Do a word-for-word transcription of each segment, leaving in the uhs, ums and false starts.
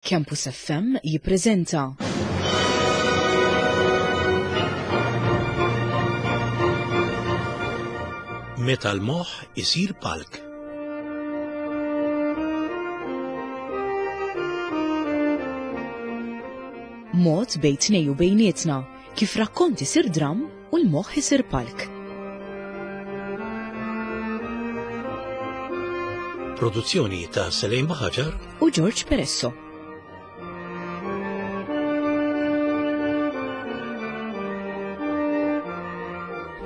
Campus F M jippreżenta Meta l-moħħ isir palk. Mod bejn tnej u bejnietna kif rakkont isir dram u l-moħħ isir palk. Produzzjoni ta' Selejn Baħaġar u George Peresso.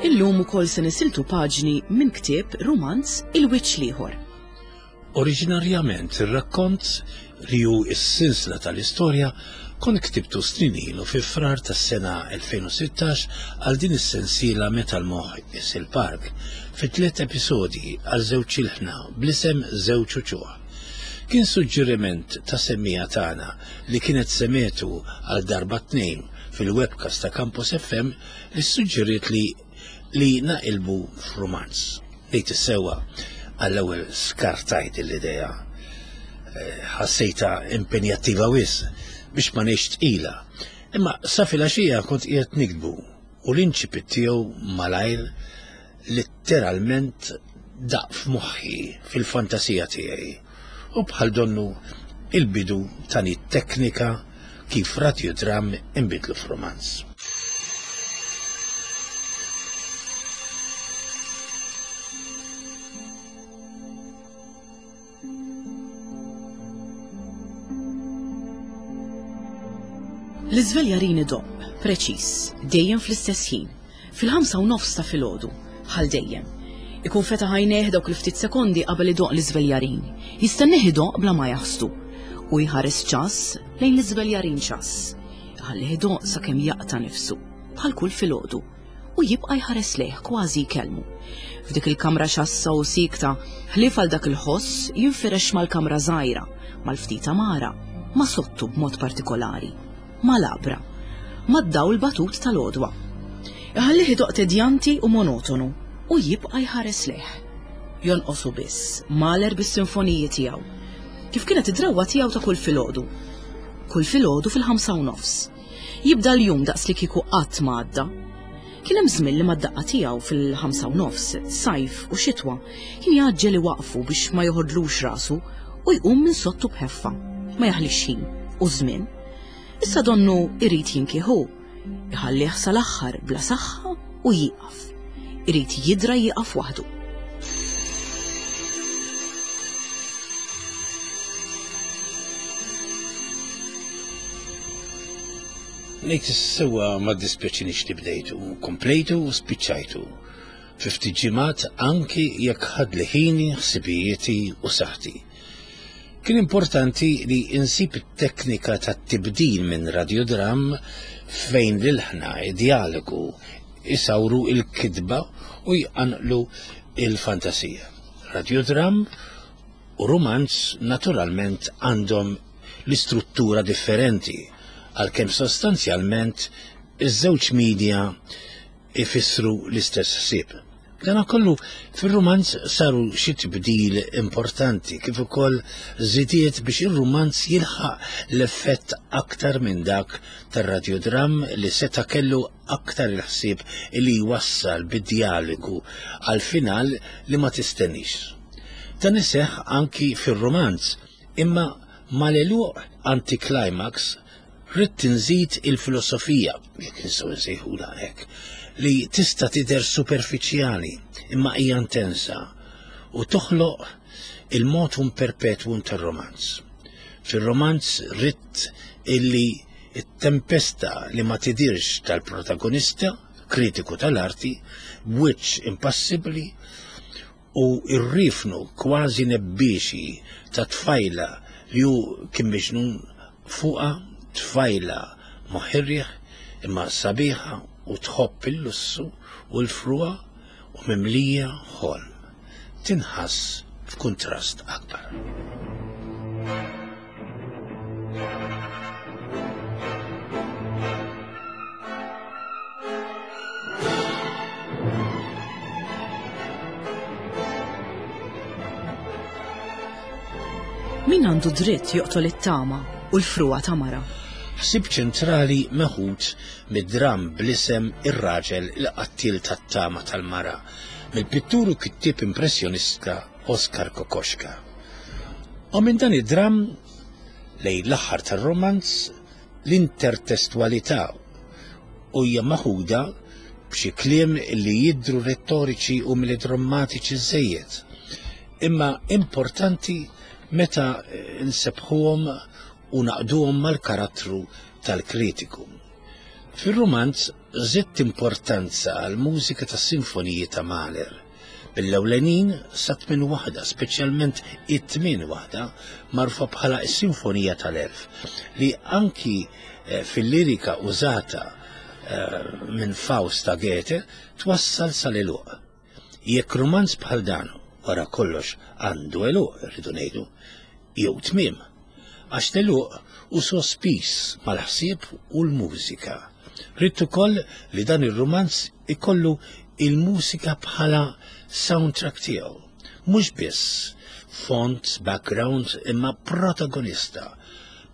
Illum ukoll se nisiltu paġni minn ktieb rumanz Il-Wiċċ l-Ieħor. Oriġinarjament ir-rakkont li hu s-sinsla tal-istorja kont ktibtu snin ilu fi Frar tas-sena elfejn u sittax għal din is-sensiela Meta l-Moħħ Isir Park fi tliet episodji għal żewġ ilħna bl-isem Żewġ Uċuħ. Kien suġġeriment ta' semmija tagħna li kienet semetu għal darba tnejn fil-webcast ta' Campus F M li suġġeriet li li naqilbu f'rumanz. Ngħid is-sewwa għall-ewwel skartajt l-idea. Eh, ħassejta impenjattiva wisq biex ma ngħix tqila. Imma sa filgħaxija kont qiegħed nikdbu u l-inċipit tiegħu malajr letteralment daq f'moħħi fil-fantasija tiegħi. U bħal donnu il-bidu tani teknika kif radiodram inbidlu f'rumanz. L-iżveljarin idoqq, preċiż, dejjem fl-istess ħin, fil-ħamsa u nofs ta' filgħodu, bħal dejjem. Ikun fetaħ għajnejh dawk il-ftit sekondi qabel idoqq l-iżveljarin, jistennih idoqq bla ma jaħsdu u jħares ċass lejn l-iżveljarin ċass. Iħallih idoqq sakemm jaqta' nifsu, bħal kull filgħodu, u jibqa' jħares lejh kważi jkellmu. F'dik il-kamra ċassa u sikta, ħlief għal dak il-ħoss jinfirex mal-kamra żgħira, mal-ftit għamara, ma' sottu b'mod partikolari, mal-għabra, mad-dawl batut tal-għodwa. Iħallih idoqq tedjanti u monotonu u jibqa' jħares lejh. Jonqosu biss Mahler bis-sinfoniji tiegħu, kif kienet id-drawwa tiegħu ta' kull filgħodu. Kull filgħodu fil-ħamsa u nofs. Jibda l-jum daqs li kieku qatt ma għadda. Kien hemm żmien li mad-daqqa tiegħu fil-ħamsa u nofs, sajf u xitwa, kien jgħaġġel iwaqfu biex ma joħodlux rasu u jqum minn sottu b'ħeffa, ma jaħlix ħin u żmien. Issa donnu irid jinkieħu, iħallih sal-aħħar bla saħħa u jieqaf. Irid jidra jieqaf waħdu. Ngħid is-sewwa ma ddispjaċinix li bdejtu, komplejtu u spiċċajtu. Fi ftit ġimgħat anki jekk ħadli ħini, ħsibijieti u saħħti. Kien importanti li insib it-teknika tat-tibdil minn radiodram fejn l-ilħna id-dialogu isawru il-kitba u jqanqlu il-fantasija. Radiodram u rumanz naturalment għandhom l-istruttura differenti, għalkemm sostanzjalment iż-żewġ media ifissru l-istess ħsieb. Dana kollu fir-rumanz saru xi tibdil importanti kif ukoll żidiet biex ir-rumanz jilħaq l-effett aktar minn dak tar-radiodram li seta' kellu aktar il-ħsieb li jwassal bid-dialogu għal final li ma tistennix. Dan iseħħ anki fir-rumanz, imma mal-għeluq anticlimax rrid tinżid il-filosofija, jekk nistgħu nsejħulha hekk, li tista' tidher superfiċjali imma hija intensa u toħloq il-motum perpetuum tar-romanz. Fir-romanz rrid illi it-tempesta li ma tidirx tal-protagonista, kritiku tal-arti, b'wiċċ impassibbli u r-rifnu kważi nebbiexi ta' tfajla li hu kien miġnun fuqha, tfajla moħirriħ imma sabiħa u tħobb il-lussu u l-frua u mimlija ħolm. Tinħass f'kuntrast akbar. Min għandu dritt joqtol it-tama u l-frugħa ta' mara. Ħsieb ċentrali meħud mid-dramm bl-isem Ir-raġel il-qattil tat-tama tal-mara mill-pittur u kittieb impressjonista Oskar Kokoschka. U minn dan id-dramm lejn l-aħħar tar-romanz l-intertestwalità u hija maħuda b'xi kliem li jidhru rettoriċi u melodrammatiċi żejjed. Imma importanti meta nsebħuhom u naqduhom mal-karattru tal-kritiku. Fir-romanz żidt importanza għall-mużika tas-sinfoniji ta' Mahler. Mill-ewlenin sa tmien waħda, speċjalment it-tmien waħda, magħrufa bħala s-Sinfonija tal-Elf, li anki eh, fil-lirika użata eh, minn Faust ta' Goethe twassal sal-għeluq. Jekk romanz bħal dan wara kollox għandu għeluq, rridu ngħidu, jew tmiem, għax l-għeluq hu sospiż mal-ħsieb u l-mużika. Ridt ukoll li dan ir-romanz ikollu il-mużika bħala soundtrack tiegħu. Mhux biss font, background, imma protagonista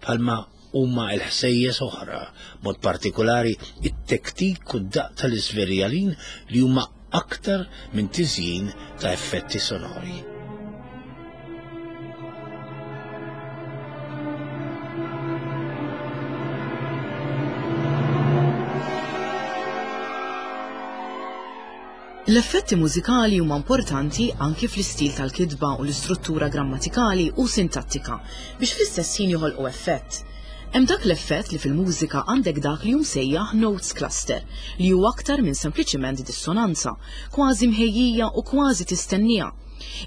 bħalma huma l-ħsejjes oħra, mod partikolari it-tektik u d-daq tal-iżverjalin li huma aktar minn tiżjin ta' effetti sonori. L-effetti mużikali huma importanti anki fl-istil tal-kitba u l-istruttura grammatikali u sintattika biex fl-istess ħin joħolqu effett. Hemm dak l-effett li fil-mużika għandek dak li hu msejjaħ notes cluster, li hu aktar minn sempliċiment dissonanza, kważi mħejjija u kważi tistennija.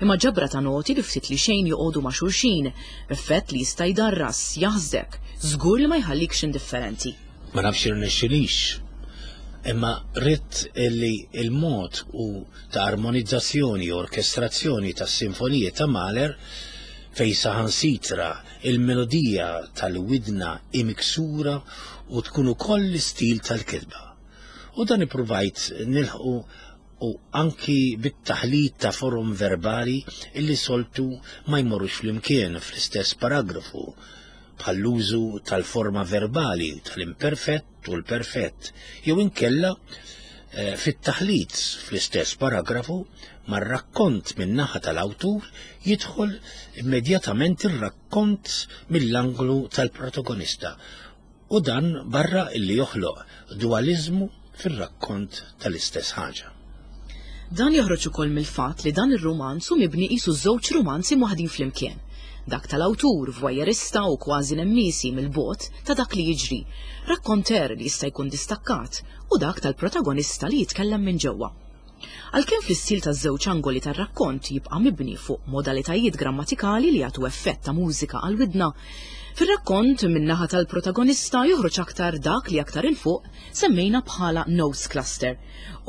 Imma ġabra ta' noti li ftit li xejn joqogħdu ma' xulxin, effett li jista' jdarras, jaħsdek, żgur li ma jħallikx indifferenti. Ma nafx irnexxilix, imma ridt li il-mod u ta' armonizzazzjoni u orkestrazzjoni tas-sinfoniji ta' Mahler fej saħansitra il-melodija tal-widna imiksura u tkun ukoll l-istil tal-kitba. U dan ippruvajt nilħqu u anki bit-taħlit ta' forum verbali illi soltu ma jmorrux flimkien fl-istess paragrafu, bħall-użu tal-forma verbali tal-imperfett u l-perfett, jew inkella eh, fit-taħlit fl-istess paragrafu mar-rakkont min-naħa tal-awtur jidħol immedjatament ir-rakkont mill-anglu tal-protagonista u dan barra illi joħloq dualizmu fir-rakkont tal-istess ħaġa. Dan joħroġ ukoll mill-fatt li dan ir-rumanz hu mibni qisu żewġ rumanzi mwaħdin flimkien. Dak tal-awtur, voyeurista u kważi nemmisi mill-bogħod ta' dak li jiġri, rakkonter li jista' jkun distakkat, u dak tal-protagonista li jitkellem minn ġewwa. Għalkemm fl-istil taż-żewġ angoli tar-rakkont jibqa' mibni fuq modalitajiet grammatikali li jagħtu effett ta' mużika għal widna, fir-rakkont min-naħa tal-protagonista joħroġ aktar dak li aktar 'il fuq semmejna bħala notes cluster.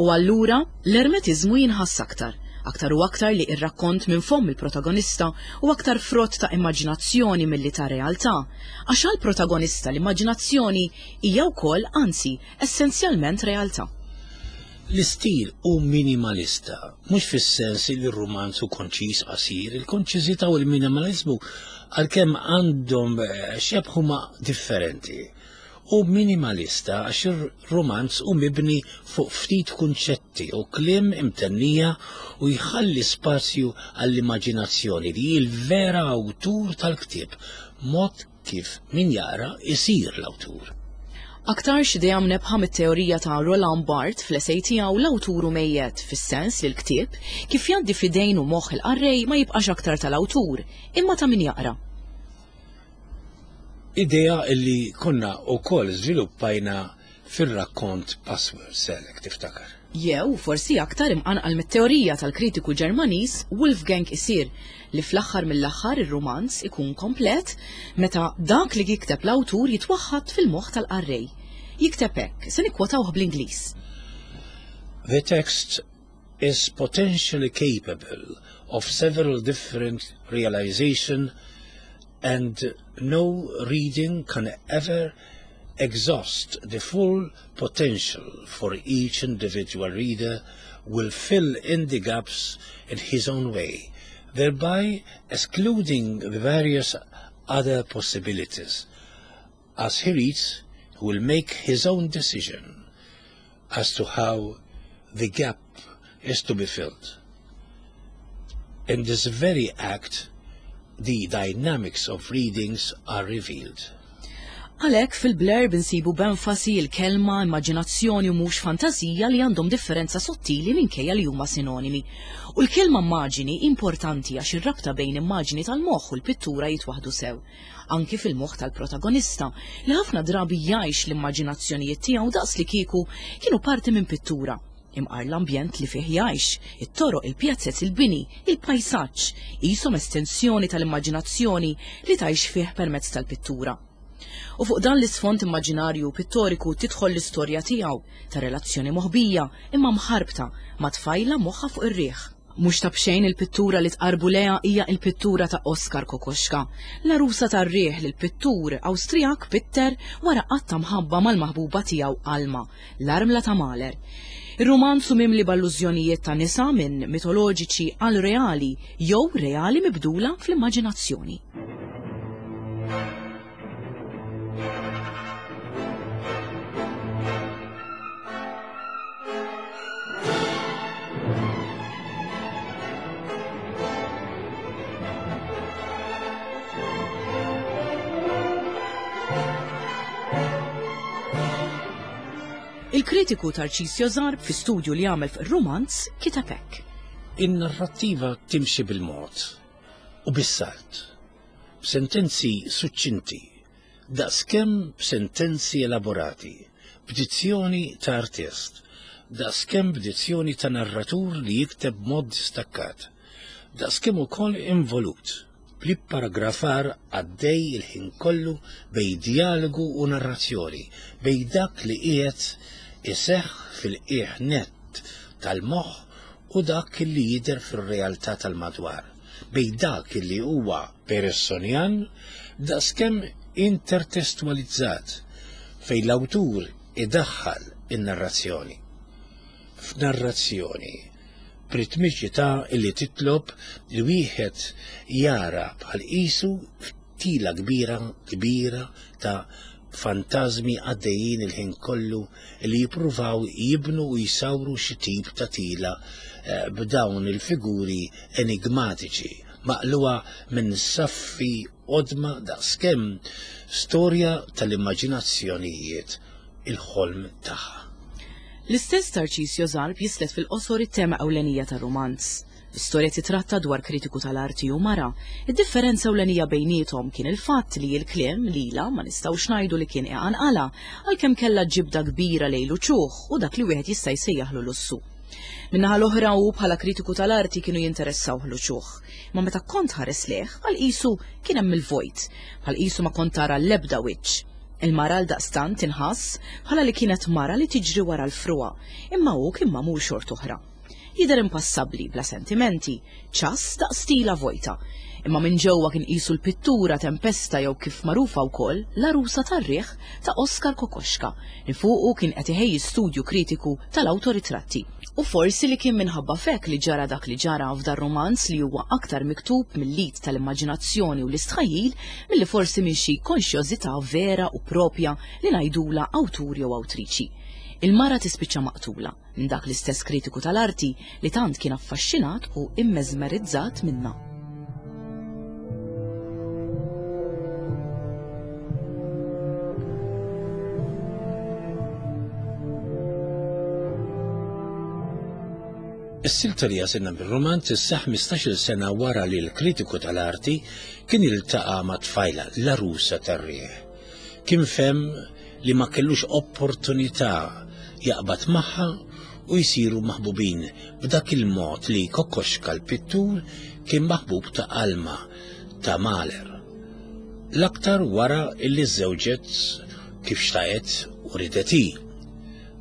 U allura l-ermetiżmu jinħass aktar, aktar u aktar li ir-rakkont minn fomm il-protagonista u aktar frott ta' immaġinazzjoni milli ta' realtà, għax għall-protagonista l-immaġinazzjoni hija wkoll, anzi, essenzjalment realtà. L-istil hu minimalista, mhux fis-sens li r-rumanz hu konċis qasir, il-konċiżità u l-minimalizmu għalkemm għandhom eh, xebh huma differenti. U minimalista għax ir-romanz hu mibni fuq ftit kunċetti u kliem imtennija u jħalli spazju għall-immaġinazzjoni li hi l-vera awtur tal-ktieb, mod kif min jaqra isir l-awtur. Aktarx idea mnebbħa mit-teorija ta' Roland Barthes fl-esej tiegħu L-awtur hu mejjet, fis-sens li l-ktieb kif jgħaddi f'idejn u moħħ il-qarrej ma jibqax aktar tal-awtur, imma ta' min jaqra. Idea illi konna wkoll żviluppajna fir-rakkont Password Select, tiftakar. Jew forsi aktar imqanqal mit-teorija tal-kritiku Ġermaniż Wolfgang Isir li fl-aħħar mill-aħħar ir-romanz ikun komplet meta dak li jikteb l-awtur jitwaħħad fil-moħħ tal-qarrej. Jikteb hekk, se nikkwotawh bl-Ingliż. The text is potentially capable of several different realization and no reading can ever exhaust the full potential, for each individual reader will fill in the gaps in his own way, thereby excluding the various other possibilities. As he reads, he will make his own decision as to how the gap is to be filled. In this very act, the dynamics of readings are revealed. Għalhekk fil-blurb insibu b'enfasi l-kelma immaġinazzjoni u mhux fantasija li għandhom differenza sottili minkejja li huma sinonimi. U l-kelma immaġini importanti għax ir-rabta bejn immaġini tal-moħħ u l-pittura jitwaħdu sew. Anki fil-moħħ tal-protagonista li ħafna drabi jgħix l-immaġinazzjonijiet tiegħu daqs li kieku kienu parti minn pittura. Imqar l-ambjent li fih jgħix, it-toroq, il-pjazzez, il-bini, il-pajsaġġ, qishom estensjoni tal-immaġinazzjoni li tgħix fih permezz tal-pittura. U fuq dan l-isfond immaġinarju pittoriku tidħol l-istorja tiegħu ta' relazzjoni moħbija imma mħarbta ma' tfajla moħħa fuq ir-riħ. Mhux ta' b'xejn il-pittura li tqarbu lejha hija l-pittura ta' Oskar Kokoschka, l-għarusa tar-riħ li l-pittur Awstrijak pitter wara qatta mħabba mal-maħbuba tiegħu Alma, l-armla ta' Mahler. Ir-romanzu mimli b'allużjonijiet ta' nisa minn mitoloġiċi għal reali jew reali mibdula fl-immaġinazzjoni. Il-kritiku Tarcisio Zarb fi studju li għamel fir-romanz kiteb hekk. In-narrattiva timxi bil-mod u bis-salt, b'sentenzi suċċinti, daqskemm b'sentenzi elaborati, b'dizzjoni ta' artist, daqskemm b'dizzjoni ta' narratur li jikteb b'mod distakkat, daqskemm ukoll involut, bl-paragrafar għaddej il-ħin kollu bej dialogu u narrazzjoni, bej dak li qiegħed iseħħ fil-qiegħ nett tal-moħħ u dak li jidher fir-realtà tal-madwar, bej dak li huwa Pearsonian daqskemm intertestualizzat fejn l-awtur idaħħal in-narrazzjoni. F'narrazzjoni b'ritmiċità li titlob li wieħed jara bħal qisu ftila kbira kbira ta' fantażmi għaddejjin il-ħin kollu li jippruvaw jibnu u jsawru xi tip ta' tila b'dawn il-figuri enigmatiċi maqluha minn saffi qodma daqskemm storja tal-immaġinazzjonijiet il-ħolm tagħha. L-istess Tarcisio Zarb jislet fil-qosor it-tema ewlenija tar-romanz. L-istorja titratta dwar kritiku tal-arti u mara. Id-differenza ewlenija bejniethom kien il-fatt li l-kliem lila ma nistgħux ngħidu li kien iqanqala għalkemm kellha ġibda kbira lejn uċuħ u dak li wieħed jista' jsejjaħlu lussu. Min-naħa l-oħra hu bħala kritiku tal-arti kienu jinteressaw l-uċuħ. Ma meta kont ħares leh għal qisu kien hemm il-vojt, bħal qisu ma kont tara l-ebda wiċċ. Il-mara għal daqstant tinħass bħala li kienet mara li tiġri wara l-frua, imma hu kien magħmul xort oħra. Jidher impassabbli bla sentimenti, ċass daqs stila vojta. Imma minn ġewwa kien qisu l-pittura Tempesta jew kif magħrufa wkoll l-għarusa tar-riħ ta' Oskar Kokoschka li fuqu kien qed iħejji studju kritiku tal-awtoritratti. U forsi li kien minħabba fek li ġara dak li ġara f'dar romanz li huwa aktar miktub mill-lit tal-immaġinazzjoni u l-istħajjil milli forsi minn xi konxjożità vera u propja li ngħidula awtur jew awtriċi. Il-mara tispiċċa maqtula minn dak l-istess kritiku tal-arti li tant kien affaxxinat u immeżmerizzat minnha. Is-silta li jasilna bir-romanz isseħħ ħmistax-il sena wara li l-kritiku tal-arti kien iltaqa' ma' tfajla l-għarusa tar-riħ. Kien fem li ma kellux opportunità jaqbad magħha u jsiru maħbubin b'dak il-mod li Kokoschka l-pittur kien maħbub ta' Alma ta' Mahler. L-aktar wara illi żewġet kif xtaqet u ridet hi,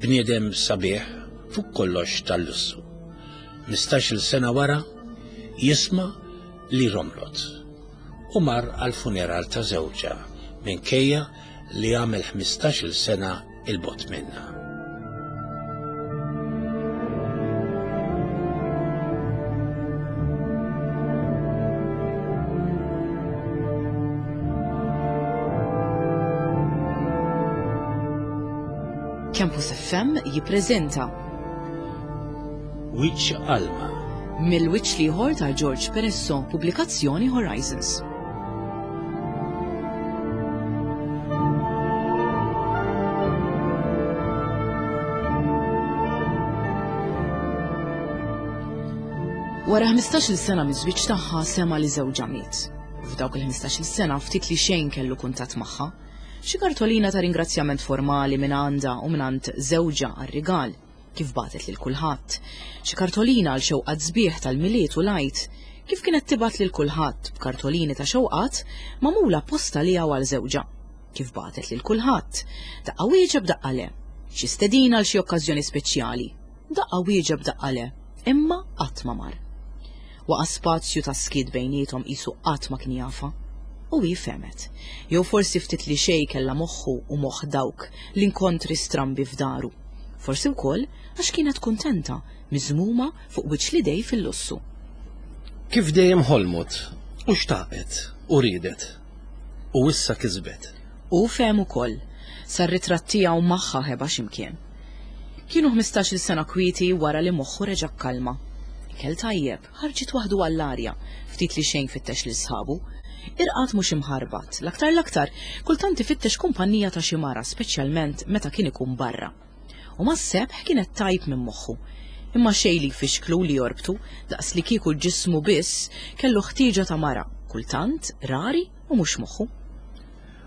bniedem sabiħ fuq kollox tal-lussu. Ħmistax-il sena wara jisma' li romlot u mar għal-funeral ta' żewġha minkejja li għamel ħmistax-il sena il-bot minnha. Campus F M jippreżenta Wiċċ Alma. Mill-wiċċ l-ieħor ta' George Peresso, pubblikazzjoni Horizons. Wara ħmistax-il sena miż-żwieġ tagħha sema' li żewġha miet. F'dawk il-ħmistax-il sena ftit li xejn kellu kuntatt magħha. Xi kartolina ta' ringrazzjament formali minn għandha u minn għand żewġha għar-rigal, kif bagħtet lil kulħadd. Xi kartolina għal xewqat sbieħ tal-Milied u l-Għid, kif kienet tibgħat lil kulħadd b'kartolini ta' xewqat magħmula apposta liha u għal żewġha, kif bagħtet lil kulħadd. Daqqa wieġeb daqqa le. Xi stedina għal xi okkażjoni speċjali. Daqqa wieġeb daqqa le, imma qatt ma mar. Waqa' spazju ta' skiet bejniethom qisu qatt ma kien jafa. U hi fehmet. Jew forsi ftit li xejn kellha moħħu u moħħ dawk l-inkontri strambi f'daru. Forsi wkoll għax kienet kuntenta, miżmuma fuq wiċċ l-idej fil-lussu. Kif dejjem ħolmot, u xtaqet, u riedet, u issa kisbet. U fehem ukoll, sar ritratt tiegħu magħha ħeba x'imkien. Kienu ħmistax-il sena kwieti wara li moħħu reġa' kkalma. Ikel tajjeb, ħarġet waħdu għall-arja, ftit li xejn fittex lil sħabu. Irqad mhux imħarbat, l-aktar l-aktar, kultant ifittex kumpanija ta' xi mara, speċjalment meta kien ikun barra. U mas-sebħ kienet tajb minn moħħu. Imma xejn li jfixklu li jorbtu, daqs li kieku ġismu biss kellu ħtieġa ta' mara, kultant rari u mhux moħħu.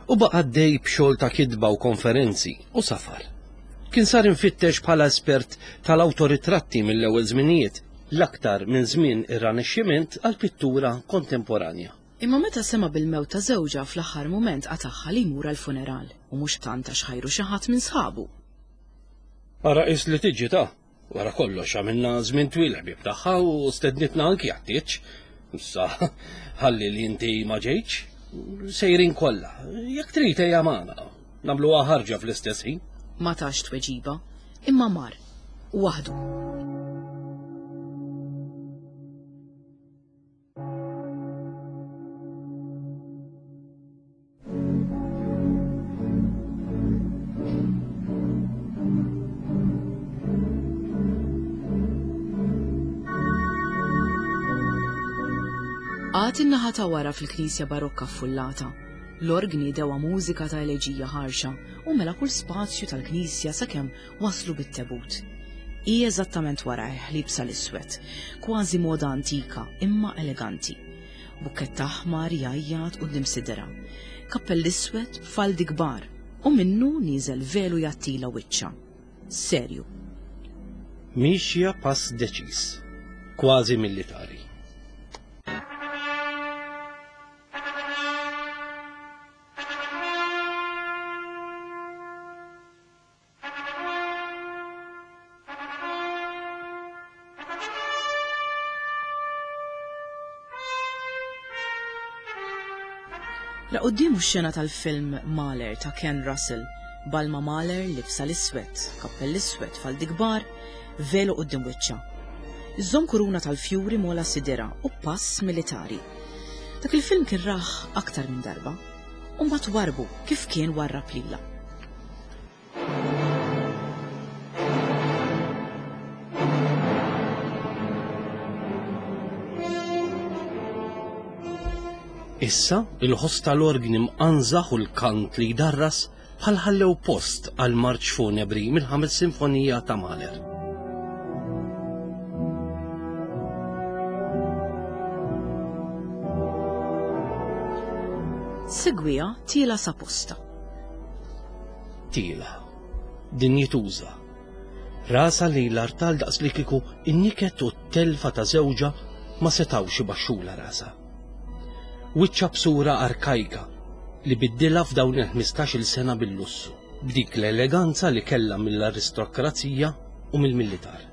U baqa' għaddej b'xogħol ta' kitba u konferenzi u safar. Kien sar infittex bħala espert tal-awtoritratti mill-ewwel żminijiet, l-aktar minn żmien ir-Rinaxximent għall-pittura kontemporanja. Imma meta sema' bil-mewt ta' żewġha fl-aħħar mument qatagħha li jmur għall-funeral u mhux tant għax ħajru xi ħadd minn sħabu. Ara qis li tiġi ta' wara kollox għamilna żmien twil ħbieb tagħha u stednitna anki għat-tieġ. Issa ħalli li inti ma ġejtx, sejrin kollha. Jekk trid ejja magħna, nagħmluha ħarġa fl-istess ħin. Ma tax tweġiba, imma mar, waħdu. Għad in-naħa ta' wara fil-knisja barokka ffullata. L-orgni dewa mużika ta' eleġija ħarxa u mela kull spazju tal-knisja sakemm waslu bit-tebut. Hi eżattament warajh liebsa l-iswed, kważi moda antika imma eleganti. Bukkett aħmar jgħajjat quddiem sidra, kappell iswed b'faldi kbar u minnu nieżel velu jgħattila wiċċha. Serju. Mixja pass deċiż, kważi militari. La quddiemu x-xena tal-film Mahler ta' Ken Russell, Balma Mahler libsa l-iswed, kappell iswed, faldi kbar, velu quddiem wiċċha. Iżżomm kuruna tal-fjuri mola sidera u pass militari. Dak il-film kien raħ aktar minn darba, u mbagħad warbu kif kien warrab lilha. Issa il-ħoss tal-orgni mqanżaħ u l-kant li jdarras bħal ħallew post għal marċ funebri mill-ħames sinfonija ta' Mahler. Segwija tiela sa posta. Tiela, dinjituża. Rasa li l-artal daqs li kieku in-niket u t-telfa ta' żewġha ma setgħux ibaxxula rasa. Wiċċa b'sura arkajka li biddilha f'dawn il-ħmistax-il sena bil-lussu, b'dik l-eleganza li kellha mill-aristokrazija u mill-militar.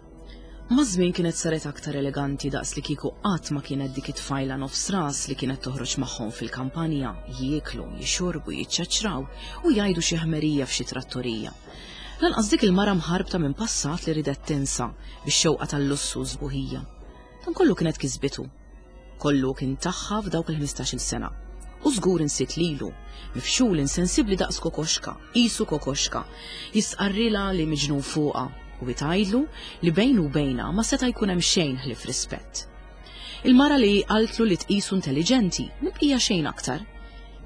Maż-żmien kienet saret aktar eleganti daqs li kieku qatt ma kienet dik it-tfajla nofs ras li kienet toħroġ magħhom fil-kampanja, jieklu, jixorbu, jiċċaċċraw u jgħidu xi ħmerija f'xi trattorija. Lanqas dik il-mara mħarbta minn passat li ridet tinsa bix-xewqa tal-lussu u sbuħija. Dan kollu kienet kisbitu. Kollu kien tagħha f'dawk il-ħmistax-il sena. U żgur insiet lilu, mifxul insensibbli daqs kokoxka, qisu kokoxka, jistqarrilha li miġnun fuqha u tgħidlu li bejnu u bejna ma seta' jkun hemm xejn ħlief rispett. Il-mara li qaltlu li tqisu intelliġenti, mibqija xejn aktar.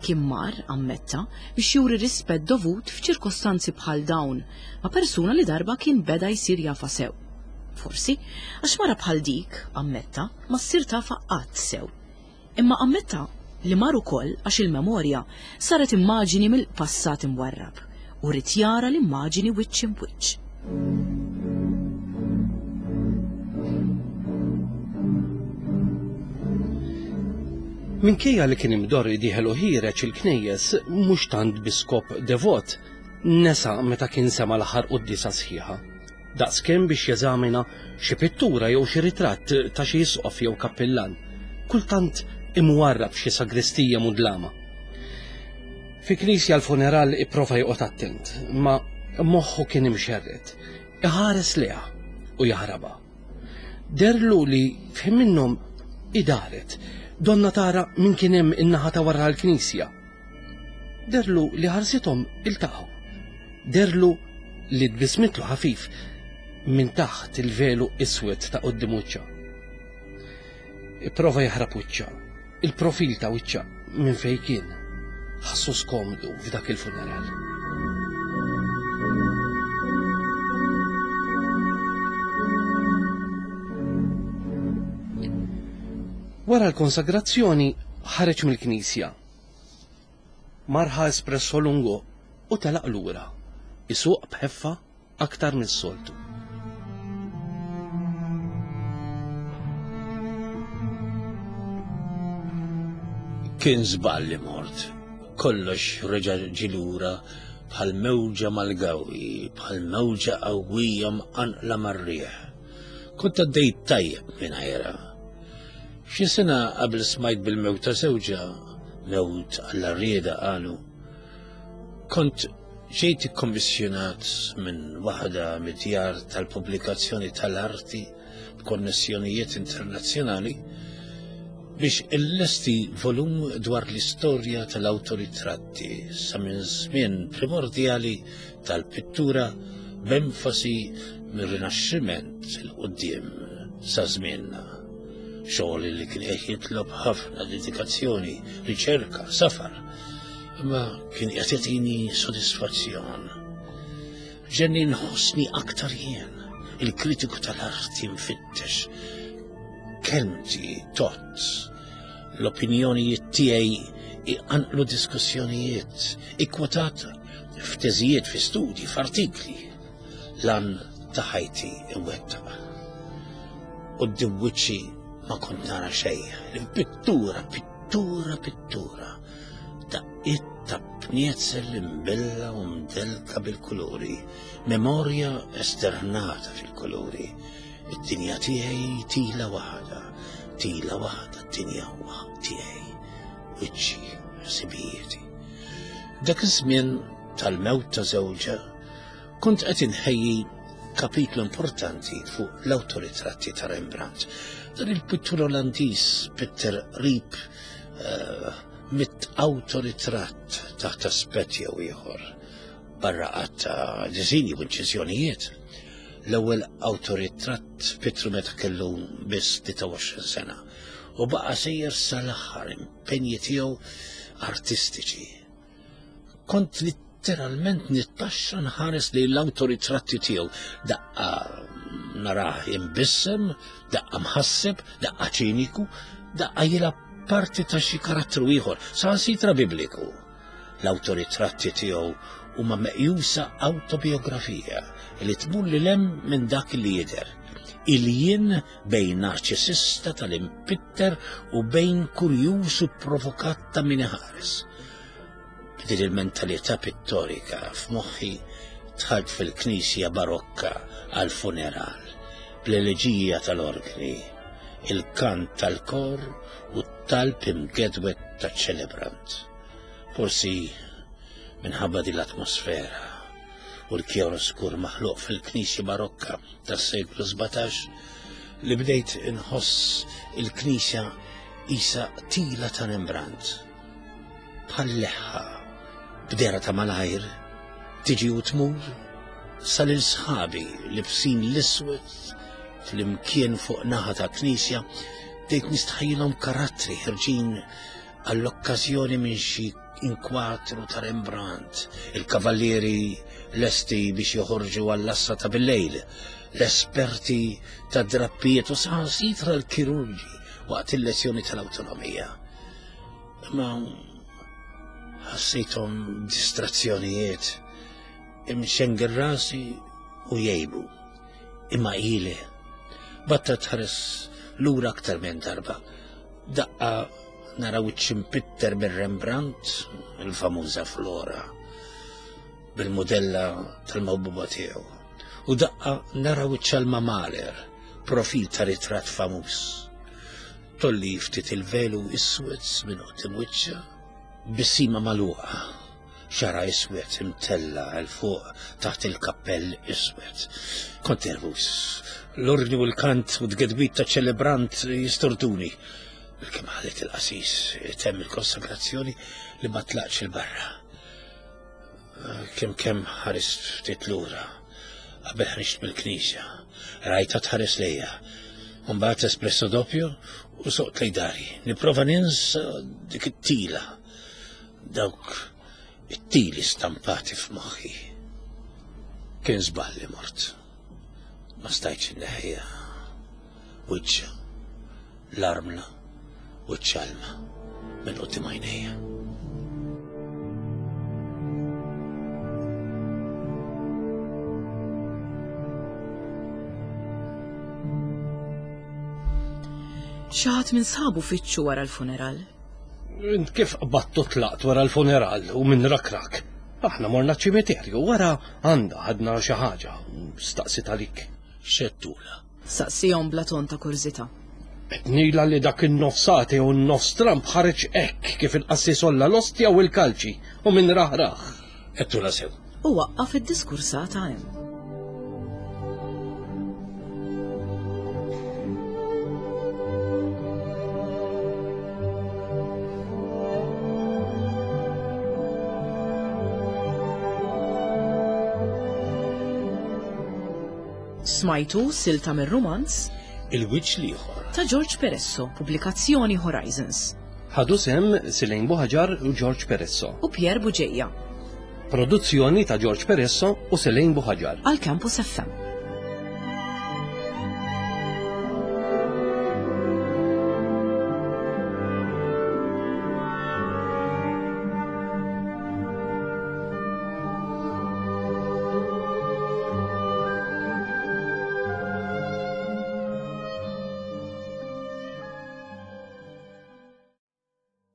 Kien mar, ammetta, biex juri rispett dovut f'ċirkostanzi bħal dawn ma' persuna li darba kien beda jsir jafa sew. Forsi, għax mara bħal dik, ammetta, ma ssir tafa qatt sew. Imma ammetta li mar ukoll għax il-memorja saret immaġini mill-passat imwarrab u ried jara l-immaġini wiċċ imwiċċ. Minkejja li kien imdorri dieħel u ħiereġ il-knejjes mhux tant bi skop devot, nesa meta kien sema l-aħħar quddiesa sħiħa. Daqskemm biex jeżamina xi pittura jew xi ritratt ta' xi isqof jew kappillan, kultant imwarrab f'xi sagristija mudlama. Fi knisja l-funeral ipprova joqgħod attent, ma moħħu kien imxerred, iħares leha u jaħrabha. Derlu li f'ħin minnhom idaret, donna tara min kien hemm in-naħa ta' wara l-knisja. Derlu li ħarsithom iltaqgħu. Derlu li tbismitlu ħafif minn taħt il-velu iswed ta' quddiem wiċċha. Ipprova jaħrab wiċċha, il-profil ta' wiċċha minn fejn kien. Ħassu skomdu f'dak il-funeral. Wara l-konsagrazzjoni ħareġ mill-knisja. Marħa espresso lungo u telaq lura, isuq b'ħeffa aktar mis-soltu. Kien żball li mort. Kollox reġa' ġie lura bħal mewġa mal-gawi, bħal mewġa qawwija mqanqla mar-riħ. Kont għaddejt tajjeb mingħajrha. Xi sena qabel smajt bil-mewt ta' żewġha, mewt għall-arrieda qalu, kont ġejt ikkommissjonat minn waħda mid-djar tal-pubblikazzjoni tal-arti b'konnessjonijiet internazzjonali biex illesti volum dwar l-istorja tal-awtoritratti sa minn żmien primordjali tal-pittura b'enfasi mir-Rinaxximent 'il quddiem sa żmienna. Xogħol li kien qed jitlob ħafna dedikazzjoni, riċerka, safar, imma kien qed jagħtini sodisfazzjon. Ġenni nħossni aktar jien, il-kritiku tal-arti mfittex. Kelmti tot, l-opinjonijiet tiegħi iqanqlu diskussjonijiet, ikkwotat f'teżijiet, fi studji, f'artikli. Lan ta' ħajti imwettaq. Quddiem wiċċi ma kont nara xejn, pittura, pittura, pittura. Daqqiet ta' pnietzel imbella u mdelka bil-kuluri, memorja esternata fil-kuluri. Id-dinja tiegħi tila waħda, tila waħda d-dinja tiegħi, wiċċi, ħsibijieti. Dak iż-żmien tal-mewt ta' żewġha kont qed inħejji kapitlu importanti fuq l-awtoritratti ta' Rembrandt. Dan il-pittur Olandiż Peter Rip uh, mit awtoritratt taħt aspett jew ieħor barra qatt ta' disinji u inċiżjonijiet. L-ewwel awtoritratt pittru meta kellu biss tlieta u għoxrin sena u baqa' sejjer sal-aħħar impenji tiegħu artistiċi. Kont letteralment nittaxxa nħares li l-awtoritratti tiegħu, daqqa narah imbissem, daqqa mħasseb, daqqa ċiniku, daqqa jilgħab parti ta' xi karattru ieħor, saħansitra bibliku. L-awtoritratti tiegħu huma meqjusa awtobiografija li tmur lil hemm minn dak li jidher. Il-jien bejn narċisista tal-impitter u bejn kurjuż u provokat ta' min iħares. B'din il-mentalità pittorika f'moħħi dħalt fil-knisja barokka għal-funeral, bl-eleġija tal-organi, il-kant tal-kor u t-talb imgedwet taċ-ċelebrant. Forsi minħabba din l-atmosfera u l-kjaroskur maħluq fil-knisja barokka tas-seklu sbatax li bdejt inħoss il-knisja isa tila ta' Rembrandt. Bħal leħħa, b'dehra ta' malajr, tiġi u tmur, sa lil sħabi libsin l-iswed flimkien fuq naħa ta' knisja, bdejt nistħajjilhom karattri ħerġin għall-okkażjoni minn xi inkwatru ta' Rembrandt, il-kavallieri lesti biex joħorġu għall-assa ta' bil-lejl, l-esperti ta' drappijiet u saħansitra l-kirurġi waqt il-lezzjoni tal-awtonomija. Imma ħassejthom distrazzjonijiet, imxengel rasi u jgħibu. Imma ili, batta tħares lura aktar minn darba. Daqqa nara wiċċ impitter minn Rembrandt, il-famuża Flora, bil-modella tal-mawbuba tiegħu. U daqqa nara wiċċ Alma Mahler, profil ta' ritratt famuż. Tolli ftit il-velu iswed minn quddiem wiċċha, bisima magħluqa, xara iswed imtella għal fuq taħt il-kappell iswed. Kont nervus. L-ordni u l-kant u d-gedwit ta' ċelebrant jistorduni. Kemm ħallit il-qasis temm il-konsagrazzjoni li ma tlaqx il-barra. Kemm kemm ħarist ftit lura qabel ħriġt mill-knisja. Rajta tħares lejja. Mbagħad espresso doppio u soqt lej dari. Nipprova ninsa dik it-tila. Dawk it-tili stampati f'moħħi. Kien żball li mort. Ma stajtx inneħħiha. Wiċċha, l-armla u ċ-ċalma minn quddiem għajnejja. Xi ħadd minn sħabu fittxu wara l-funeral. Int kif qbattu tlaqt wara l-funeral u minn rakrak? Aħna morna ċimiterju wara għandha ħadna xi ħaġa, staqsit għalik. Xettula. Saqsihom bla ton ta' kurżità. Etnila li dak in-nofsati u n-nofs Trump ħareġ hekk kif il-qassis olla l-ostja u l-kalċi u minn raħraħ. Ettula sew. U waqqaf id-diskursata hemm. Smajtu silta mir-rumanz Il-wiċċ l-ieħor ta' George Peresso, pubblikazzjoni Horizons. Ħadu sem Silejn Buħaġar u George Peresso. U Pierre Buġeja Produzzjoni ta' George Peresso u Silejn Buħaġar. għal Campus F M.